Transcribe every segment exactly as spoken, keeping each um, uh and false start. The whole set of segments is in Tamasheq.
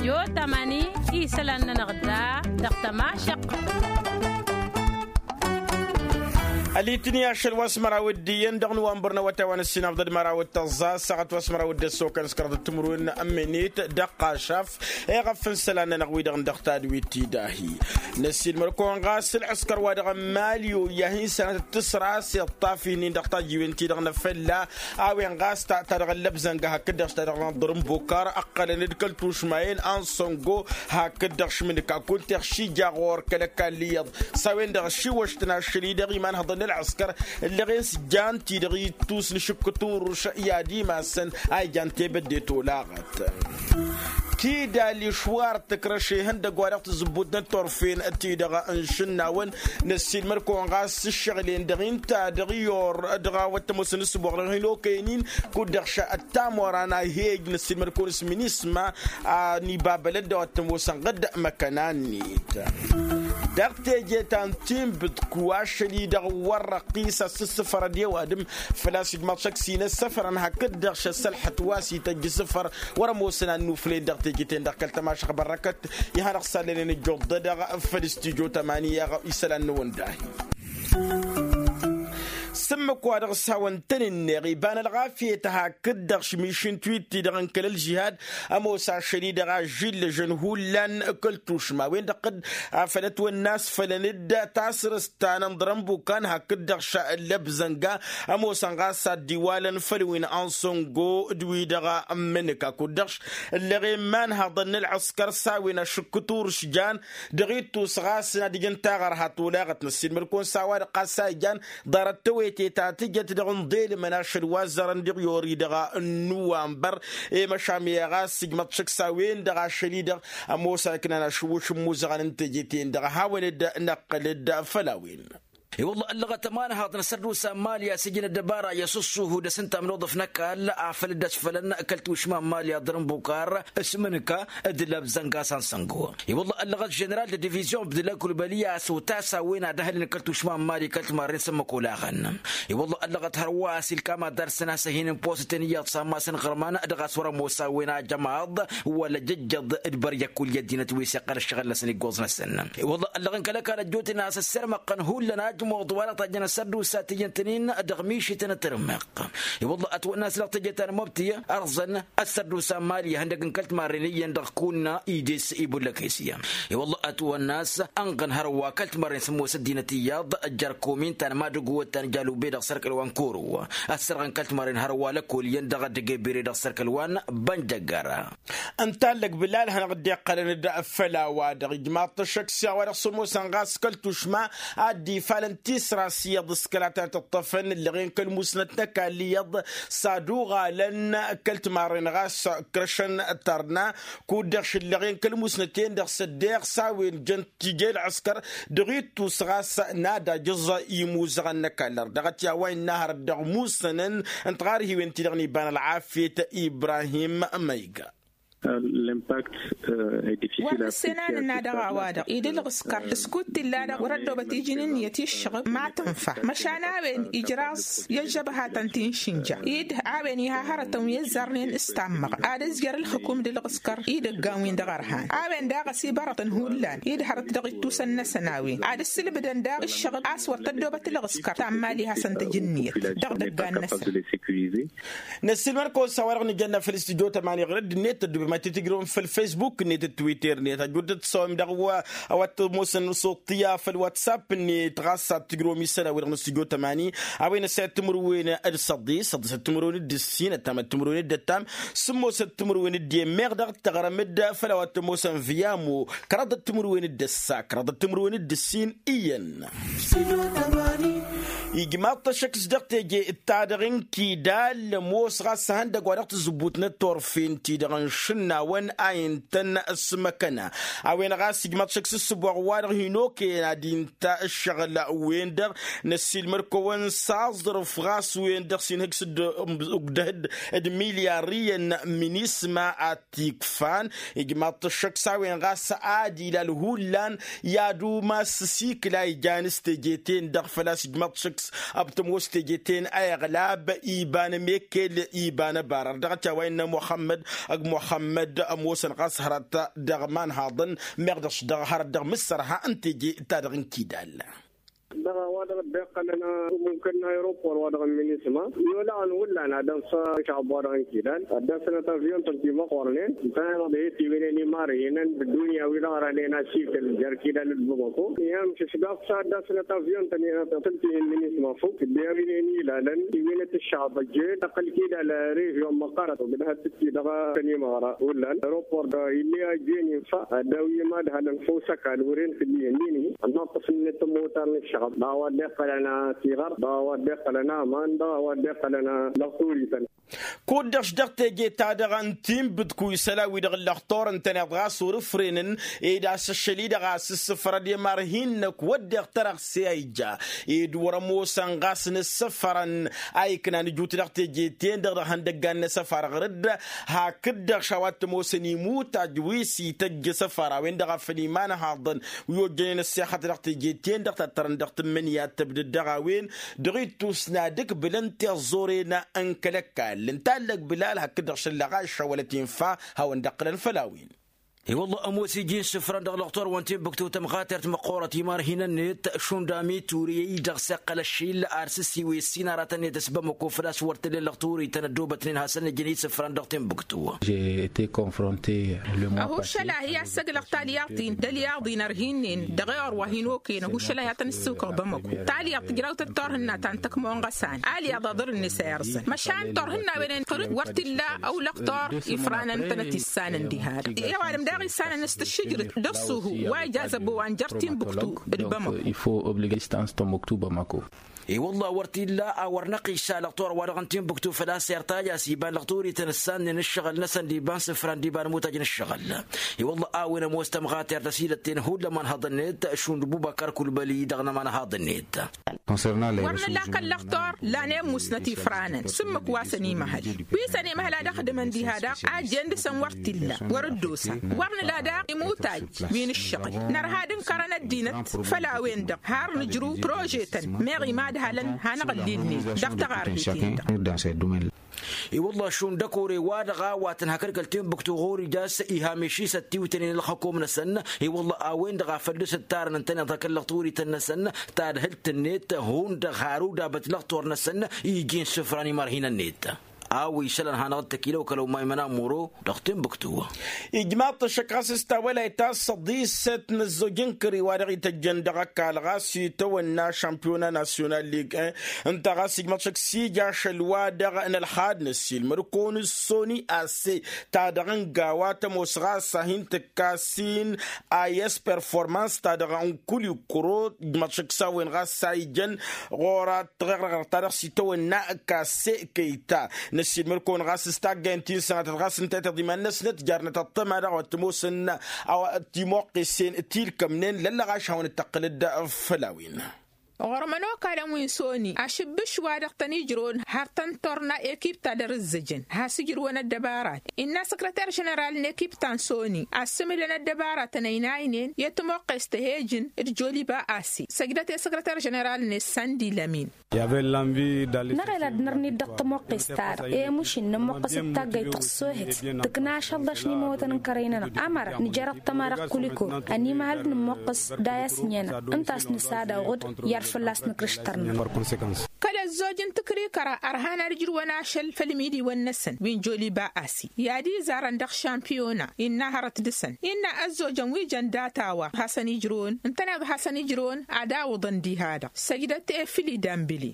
Stidyo tămani isălan-nănăɣ da dăɣ-tămašăq. Ălitni ašăl wa s-măraw d-iyyăn dăɣ-nowănbăr n-awătay wa n-ăssinafḍăd măraw d-tăẓẓa ăssaɣăt wa s-măraw d-ăssokăn s-kăraḍăt timǝrwen n-minit dăɣ-qašaf. Eɣăf n-isălan-nănăɣ wi-dăɣ n-dăɣ tadwit tidahi năssiilmăr-kăwăn ɣas ǝlɣǝskăr wa dăɣ-n malyo i-ad-hin-sănăt d-tǝsra s-iṭṭaf-in-in dăɣ-tajiwen-ti-dăɣ n-afălla a-wen ɣas ta-dăɣ ăllăbzănga hakd-dăɣ ta-dăɣ n-aḍrǝmbukar ǝqqălăn-dd kăl-tušmayen ansăngo hakd-dăɣ šmǝnǝka kunta iɣšija ɣur-kăl-ăkall iyyăḍ s-a-wen-dăɣ ăššiwăštăn ašăl-i-dăɣ imanhăḍăn n-ălɣǝskăr ǝllăɣen s-jan-ti-dăɣ ittus n-ašǝkkǝt urǝš i-ad-imasăn a ijan tebădde tolaɣăt. Kidal išwar tǝkrăš ihăndăgg wa dăɣ-tǝzzǝbbut n-turfen-ti-dăɣ n-išǝnnawăn. Năssiilmăr-kăwăn ɣas s-ǝššăɣǝl-en-dăɣ inta dăɣ-iyor dăɣ-a-wa t-ămoosăn s-ǝboɣ dăɣ-hin-okăyăn-in kud-dăɣ š-ăttamora n-ahej năssiilmăr-kăwăn s-minisma a n-ibabălăt d-a-wa t-ămoosăn ɣǝd măkăna-net. Dăɣ-teje ta n-tinbǝt ku ašăl-i-dăɣ wăr răqqis a s-ǝssǝfărăd i-ăwadǝm făl-a-s ijmaḍ šăkk s-inăssăfărăn hakd-dăɣ šăssălḥăt wa s-ităjj isǝfăr wăr-ămoosăn ad-nuflăyăn dăɣ-teje-ten-dăɣ kăl-tămašăɣ bărrăkăt. Ihănăɣ sallănen ǝjjuḍ-dăɣ făll-studyo tămani i-isălan-năwăn dahi. S-ǝmmǝk wa dăɣ-s hawăn-tăn-ǝnneɣ iba n-ălɣafyăt hakd-dăɣ šmišǝnt wi t-dăɣ n-kăl-ălžihad ămoos ašăl-i-dăɣ ažžillăžăn hullan kăl-tušma-wen-dăɣ d-afăl ătwănna a-s fălăn-dd tasrǝst ta n-ănḍrănbukan hakd-dăɣ šăllăbzănga ămoosăn ɣas ad-dd-iwalăn făll-wi n-ansăngo d-wi-dăɣ ămmǝnǝka kud-dăɣ ǝllăɣen imanhăḍăn n-ălɣǝskăr s-a-wen ašǝkkǝt urǝš jan dăɣ-ittus ɣas n-ad-ǝjǝn taɣărha tolaɣăt năssiilmăd-kăwăn s-a-wa-dăɣ ɣas a ijan ḍarăt tawăyte ta tǝjăt dăɣ-inḍelmăn ašăl wa ăzzarăn diɣ yori dăɣ-nǝwănbăr. I-măšan i-ɣas ǝjmăḍ šăkk s-a-wen-dăɣ ašăl-i-dăɣ ămoos a iknan ašǝwwǝš n-imuzăɣăn n-teje-ten-dăɣ a hawăn-dd-năqqǝl-dd făll-a-wen. I-wălla ăllăɣăt ămanhaḍ n-asărdus n-mali a-s ǝjǝn ăddăbara i-asǝssuhu d-asǝntam n-uḍǝf n-ăkall afăl dd-ăsfălăn kăl-tušma n-mali aḍrǝnbukar s-mǝnǝka d-lăbzănga s-ansăngo. I-wălla ăllăɣăt ženeral d-divizyon abdǝllah kulbăli a-s otas a-wen ad-ăhlǝlăn kăl-tušma n-mali kăl-timarren s-ămmăk olaɣăn. I-wălla ăllăɣăt hărwa a-s ilkam ad-darsăn a-s ăhinǝn posăten iyyăḍ s-ammas n-iɣărman dăɣ-a-s wăr-ămoos a-wen ajămaḍ wăla jăjjăḍ d-băryăk kull i-ăddinăt wi s-iqqăl ăššăɣǝl-năsăn iggoẓ-năsăn. I-wălla ăllăɣ n-kăl-ăkall ăjjootnen a-s ăssirmăqqăn hullan ajmuḍ wa dăɣ-tajjăn asărdus a t-ijăn tăn-in dăɣ-mišităn d-tirmǝq. I-wălla ătwănna a-s dăɣ-teje ta n-mobti ărẓăn asărdus a n-mali ihăndăg n-kăl-timarren iyyăn dăɣ-kunna ides ibullăk isya. I-wălla ătwănna a-s ănɣăn hărwa kăl-timarren s-ămoos ăddinăt iyyăḍ jer-komin ta n-madǝgwăt ta n-jalube dăɣ-sărkăl wa n-koro. Ăssărɣăn kăl-timarren hărwa lăkol iyyăn dăɣ-ăddăgg ebere dăɣ-sărkăl wa n-bănjăggăra. Ǝnta ăllăg bǝlal hanăɣ-dd-iqqălăn-dd făll-a-wa-dăɣ ijmaḍ-t ăššăk s-a-wa-dăɣ s-ămoosăn ɣas kăl-tušma ad-dd-ifalăn tisra s-iyyăḍ s-kăla ta n-tǝṭṭăfăn ǝllăɣen kăl-musnăt n-ăkall iyyăḍ s-ad-uɣalăn kăl-timarren ɣas ǝkrăšăn tărna. Kud-dăɣ šǝllăɣen kăl-musnăt-en-dăɣ s-ăddeɣ s-a-wen jăn tije ălɣǝskăr dăɣ-ittus ɣas n-ad-ajǝẓ imuzăɣăn n-ăkall ărdăɣăt i-a-wa innă hărăt dăɣ-musănăn n-tiɣarhiwen-ti-dăɣ n-iba n-ălɣafyăt ibrahim măyga. L'impact. Wăr nǝssenanăn ad-dăɣ a-wa-dăɣ ed ǝlɣǝskăr s-kud t-illa-dăɣ wăr-ăddobăt iji n-ǝnniyăt i-ǝššăɣb ma tǝnfa măšan a-wen ijraẓ i-ăžžăbhatăn ti n-išǝnja ed a-wen iha hărătăn wi ăzzarnen s-tammăɣ ad-ăzjăr ǝlxǝkum d-ǝlɣǝskăr idăggan-win-dăɣ ărhan a-wen daɣ ăsibărătăn hullan ed hărăt dăɣ-ittusăn-năsăn a-wen ad-ǝssǝlbǝdăn daɣ ǝššăɣb a-s wăr tăddobăt ǝlɣǝskăr ta n-mali hasăn-t-ăj ǝnniyăt dăɣ-idăggan-năsăn. Năssiilmăd-kăwăn s-a-wa-dăɣ nǝjănna făll-studyo tămani ɣur-dd-net tăddubem ad-t-tǝjrǝwăm făll-facebook-net d-twitter-net ăjud-dd-tǝssăwăm daɣ wa a-wa t-ămoosăn s-uṭṭǝya făll-whatsapp-net ɣas ad-tǝjrǝwăm isălan-wi-dăɣ n-studyo tămani. A-wen ăssayăt timǝrwen d-săḍis săḍisăt timǝrwen d-ǝssin ăttamăt timǝrwen d-ăttam sǝmmosăt timǝrwen d-iyyăn meɣ daɣ d-tăɣrăm-dd făll-a-wa t-ămoosăn viyamo kăraḍăt timǝrwen d-ăssa kăraḍăt timǝrwen d-ǝssin. Iyyăn. Ijmaḍ-t ăššăk s-dăɣ teje d-ta-dăɣ n-kidal ămoos ɣas ihăndăgg wa dăɣ-tǝzzǝbbut n-ăttorfen-ti-dăɣ n-išǝnnawăn a intăn s-măkăna. A-wen ɣas ijmaḍ-t ăššăk s-ǝssǝboɣ wa-dăɣ hin-okăyăn ad-inta ǝššăɣǝl-wen-dăɣ năssiilmăd-kăwăn s-aẓrǝf ɣas wen-dăɣ s-inhǝj s-dd-ǝgdăh-dd d-milyar iyyăn minisma ad-t-ikfan. Ijmaḍ-t ăššăk s-a-wen ɣas ad-ilal hullan i-ad-umas s-ikla ijan s-teje-ten-dăɣ făl-a-s ijmaḍ-t ăššăk Ăbtămos teje-ten a iɣlab iba n-emekkel iba n-abarar dăɣ-ătaway n-muxămmăd ăgg muxămmăd ămoosăn ɣas hărăt dăɣ-imanhaḍăn meɣ dăɣ-s dăɣ-hărăt dăɣ-mǝssărha n-teje-ta-dăɣ n-kidal. Dăɣ-a-wa-dăɣ dd-iqqălăn mumkăn n-aeropor wa-dăɣ n-minisma i-olăɣăn hullan ad-ănfă ašăɣăb wa-dăɣ n-kidal ad-dd-asnăt avion-tăn timăqqornen ǝntăneḍ-dăɣ he-tiwǝynen imarhinăn d-ăddunya wi-dăɣ rănen asikǝl jer-kidal d-bamako. Ihăn šǝšgaɣ s-ad-dd-asnăt avion-tăn i-tăn-tihǝnnin isma fuk dd-e-a-wen-en ilalăn iwǝynăt ǝššăɣăb ăjjeen tăqqăl kidal rehion măqqărăt ogdăhăt-t-i dăɣ-tăn imăɣra hullan aeropor-dăɣ ill'-e ajjen infa ad-daw-i madhălăn făw s-ăkall wăren kǝddihen nini ănnaṭṭăf-net ămmotar n-ǝššăɣăb dăɣ-a-wa dd-iqqălăn tiɣăr dăɣ-a-wa dd-iqqălăn aman dăɣ-a-wa dd-iqqălăn lăɣturităn. Kud-dăɣ š-dăɣ teje-ta-dăɣ n-tinbǝdku isălan-wi-dăɣ n-lăxtur ǝntăneḍ ɣas wăr-ǝfrenăn ed asǝššăl-i-dăɣ a-s ǝssǝfrăd i-imarhin-năk wădden tărăɣse a ija ed wăr-ămoosăn ɣas n-ǝssǝfrăn a iknan ǝjut dăɣ-teje-ten-dăɣ dăɣ-ihăndăggan n-asăfar ɣur-dd. Hakd-dăɣ š-a-wa t-ămoosăn imutaj wi s-ităjj asăfar a-wen-dăɣ a făl imanhaḍăn wi ojjănen ăssexăt dăɣ-teje-ten-dăɣ tattărăn dăɣ-tǝmmǝnǝya d-tăbdǝd dăɣ-a-wen dăɣ-ittus n-ad-ǝkbǝlăn tiẓẓuren n-kăl-ăkall ǝnta a ǝllăg bǝlal hakd-dăɣ šăllăɣ ašăwălăt infa hawăn-dd-ăqqǝlăn făll-a-wen. I-wălla ămoos iji n-isǝfran dăɣ-lăxtur wa n-tinbǝktu tămɣatert măqqoorăt imarhinăn-net šund amitur i-dăɣ s-iqqăl ăššil ar s-ǝssiwǝy ǝssin aratăn-net s-bamăko făl-a-s wăr t-ǝllen lăxturităn ăddoobătnen hasăn-ǝjǝn isǝfran dăɣ-tinbǝktu. J'ai été confronté le mois passé. Ahuššăl-ahi a-s ăglăɣ talyaḍt-in d-ălyaḍ-in ărhin-nen dăɣ-eɣăr wa hin-okăyăn ahuššăl-ahi a tăn-ǝssǝwkăɣ bamăko talyaḍt tǝjraw-tăt turhǝnna ta n-tăkmoɣ n-ɣăsan alyaḍ aḍăr-net a irẓăn măšan turhǝnna-wen-en tărǝd wăr t-illa ăwlăɣ tur ifranăn tănăt issanăn diha-dăɣ i-ăwadǝm daɣ issanăn s-tǝššǝjrǝt d-ăṣṣuhu wa ija zăbo wa n-jer-tinbuktu d-bamăko. Il faut obliger distance tămmuktu bamăko. I-wălla wăr t-illa a wăr năqqiš s-alăɣ tor-wa-dăɣ n-tinbuktu făl-a-s irtaj a-s iba n-lăɣ turităn ǝssannen ǝššăɣǝl-năsăn d-iba n-sǝfra n-d-iba n-imutaj n-ǝššăɣǝl. I-wălla a-wen ămoos tămɣatert ăsilătten hullan imanhăḍ-net šund bubăkăr kulbăli dăɣ-inămanhaḍ-net. Wăr nǝla kăl-lăɣ tor lan i-musnăt ifranăn s-ǝmmǝk wa s-ănimăhăl wi s-ănimăhăl ad-ăxdǝmăn diha daɣ a jen dăɣ-săn wăr t-illa wăr dd-osa. Wăr nǝla daɣ imutaj wi n-ǝššăɣǝl nărha d-ǝnkărăn ăddinăt făll-a-wen-dăɣ har nǝjrǝw prožetăn meɣ imadhălăn hanăɣ-ǝllilnen dăɣ-taɣarhit-in-dăɣ. I-wălla šund ăkore-wa-dăɣ a-wa tǝnhăkăd kăl-tinbuktu ɣur-ija a-s ihamiš-i s-ăttiwtănen ălxăkom-năsăn. I-wălla a-wen-dăɣ a făl dăr-s ǝttarăn ǝntăneḍ hakd lăɣturităn-năsăn tadhǝlt-net hundăɣ har udabăt lăɣtor-năsăn iji n-isǝfra n-imarhinăn-net. A-wa isălan hanăɣ-dd-tăkilăw kăl-omay mănamuro dăɣ-tinbuktu. Ijmaḍ-t ăššăk ɣas s-tawălayt ta s-săḍisăt n-ăzzoj n-kări-wa-dăɣ ităjjăn dăɣ-ăkall ɣas itawănna šampiyona nasyonal lig-en ǝnta ɣas ijmaḍ-t ăššăk s-ija ašăl-wa-dăɣ n-ălxad n-ăssiilmăd-kăwăn s-soni ase ta dăɣ-n gawa tămoos ɣas a hin-tǝkkas-in a i-s performans ta dăɣ-n kulikuro ijmaḍ-t ăššăk s-a-wen ɣas a ijăn ɣur-a tăɣeɣrăɣrăɣ ta dăɣ-s itawănna kase kăyta. Năssiilmăd-kăwăn ɣas s-taggayăn ti n-sănatăt ɣas ǝnta i-tiḍiman-năsnăt jarnăt ăṭṭăma daɣ wa t-ămoosăn a-wa t-imoqqesen tilkămnen lăllăɣ ašhawăn-dd-tăqqǝlăd făll-a-wen. Ɣur-mănokalăn wi n-soni ašǝbbǝš wa dăɣ-tăn-ijrăwăn har tăn-turna ekip ta dăr-ǝzzǝjăn has-ǝjrǝwăn ăddăbarat innă săkrăter ženeral n-ekip ta n-soni a ăssǝmǝlăn ăddăbaratăn ăynaynen i-tămoqqes tăhejǝn d-joliba asi săjdăt i-săkrăter ženeral-net sandi lămin. Năɣel ad-nărnit dăɣ-tămoqqes-ta-dăɣ i-mušin nămmuqqăs d-taggăyt tăɣsohăt tǝkna ašăl daš n-imăwătăn n-kărăy-nănăɣ ămăra nǝjăr ăṭṭăma dăɣ-kuliko ănimăhăl d-nămmuqqăs d-ayas n-enăɣ ǝnta a-s nǝsad aɣud i-ad-fălla-s nǝkrǝš tărnăt. Kăl-ăzzoj n-tǝkrikăra ărhan ad-ǝjrǝwăn ašăl făll-imidiwăn-năsăn wi n-joliba asi i-ad-izarăn dăɣ-šampiyona innă hărăt dăɣ-săn innă ăzzojăn wi jăn data-wa hasăn-ijrǝwăn ǝntăneḍ hasăn-ijrǝwăn ad-awǝḍăn diha-dăɣ săjdăt efǝli dambǝli.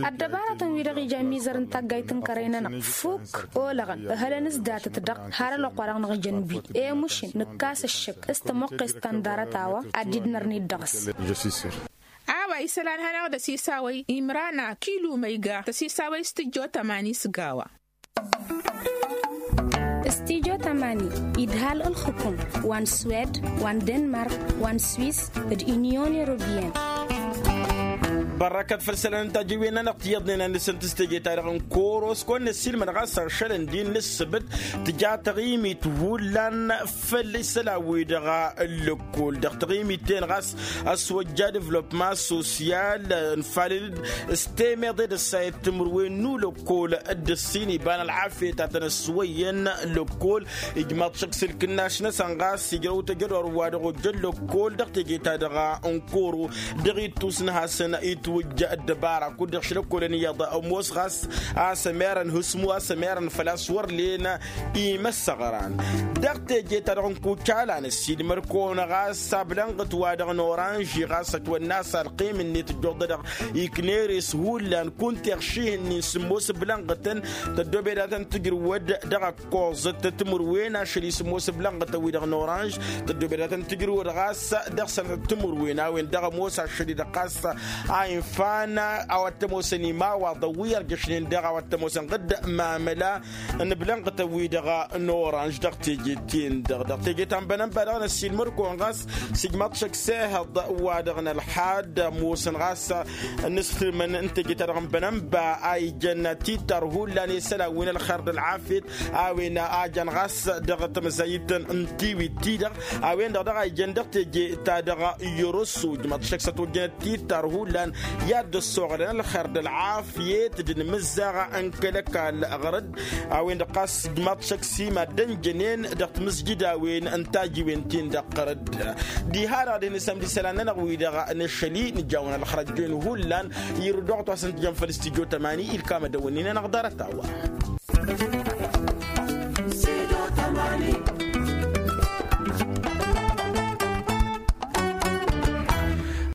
Ăddăbarătăn-wi-dăɣ ija ămizăr n-taggayt n-kărăy-nănăɣ fukk olăɣăn ǝhălăn s-datăt-dăɣ har ălwăqq-wa-dăɣ năɣ-ijăn wi i-mušǝn nǝkkas ăššăk s-tămoqqes ta n-darăt a-wa ad-dd-nărnit dăɣ-s. A-wa isălan hanăɣ-dăɣ-s isawăy imrana kilu măyga tăsisawăy s-tǝjjo tămani s-gawa. Stijo tămani idhal ǝlxǝkum wa n-swed wa n-denmark wa n-swis d-inyon europiyăn. Bărrăkăt făll-isălan n-tajǝwen-nănăɣ tiyyăḍnen a nǝsǝnt s-teje-ta-dăɣ n-koro s-kăwăn-năssiilmăd ɣas ašălăn d-innă ǝssǝbǝt tǝja taɣimit hullan făll-isălan wi-dăɣ n-lăkkol dăɣ-taɣimit-ten ɣas ăswăjja devlopma sosyal. Ǝnfalăn-dd s-temeḍe d-ăssayăt timǝrwen n-ulăkkol dd-ǝssin iba n-ălɣafyăt a tăn-ăswăyyăn lăkkol. Ijmaḍ šăkk s-ǝlkǝnnaš-năsăn ɣas ijrăw tăjădor wa dăɣ-ojjăn lăkkol dăɣ-teje-ta-dăɣ n-koro dăɣ-ittus n-hasăn-itwǝjj ăddăbara kud-dăɣ šlăkkolăn iyyăḍ ămoos ɣas a-s ămerăn hǝsmu a-s ămerăn făl-a-s wăr len imăssăɣran. Dăɣ-teje-ta-dăɣ n-kucala n-ăssiilmăr-kăwăn ɣas ablănɣăt wa dăɣ-năwăranži ɣas ătwănna a-s alqim-net ǝjjuḍădăɣ ikner-e s-hullan kunta iɣših-nin sǝmmos ǝblănɣătăn tăddobedatăn tǝjrǝwăd dăɣ-ăkkoẓăt timǝrwen ašăl-i sǝmmos ǝblănɣătăn-wi-dăɣ n-oranž. Tăddobedatăn tǝjrǝwăd ɣas dăɣ-săn timǝrwen a-wen-dăɣ ămoos ašăl-i-dăɣ ɣas a infan a-wa t-ămoosăn imawaḍăn wi ărjăšnen dăɣ-a-wa t-ămoosăn ɣǝdd mamăla n-ǝblănɣătăn-wi-dăɣ n-oranž dăɣ-teje-ten-dăɣ dăɣ-teje ta n-bănănba dăɣ-năssiilmăr-kăwăn ɣas s-ijmaḍ šăkk s-ehăḍ wa dăɣ-nălxad ămoosăn ɣas n-ǝsrǝmăn n-teje-ta-dăɣ n-bănănba a ijăn tittar hullan i-isălan wi n-ălxer d-ălɣafyăt a-wen a jan ɣas dăɣ-tamăzayit n-tiwit-ti-dăɣ a-wen-dăɣ daɣ a ijăn dăɣ-teje-ta-dăɣ. Yărossu ǝjmăḍ šăkk s-ătwăjjănăt tittar hullan i-ad-dd-ăssoɣălăn ălxer d-ălɣafyăt d-inmǝzzaɣ n-kăl-ăkall ɣărăd. A-wen-dăɣ ɣas ǝjmăḍ šăkk s-imaddăn jănen dăɣ-timǝzjǝdawen n-tajiwen-tin-dăɣ ɣărăd. Diha-dăɣ dăɣ-hin-isămd isălan-nănăɣ wi-dăɣ n-ašăl-i nǝjawăn ălxărăjjoyăn hullan irǝd oɣăt wa s-ǝntǝjăn făll-istijjo tămani ilkam ad-ăwwănnen-anăɣ ḍarăt-a-wa.